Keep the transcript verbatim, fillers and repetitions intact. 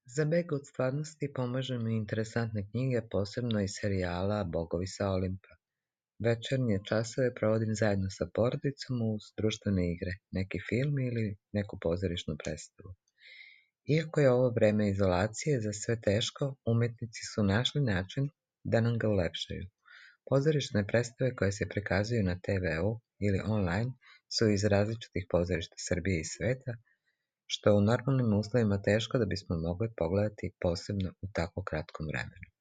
Za beg od stvarnosti pomažu mi interesantne knjige, posebno iz serijala Bogovi sa Olimpa. Večernje časove provodim zajedno sa porodicom uz društvene igre, neki film ili neku pozorišnu predstavu. Iako je ovo vreme izolacije za sve teško, umetnici su našli način da nam ga ulepšaju. Pozorišne predstave koje se prikazuju na te ve u ili online su iz različitih pozorišta Srbije i sveta, što je u normalnim uslovima teško da bismo mogli pogledati, posebno u tako kratkom vremenu.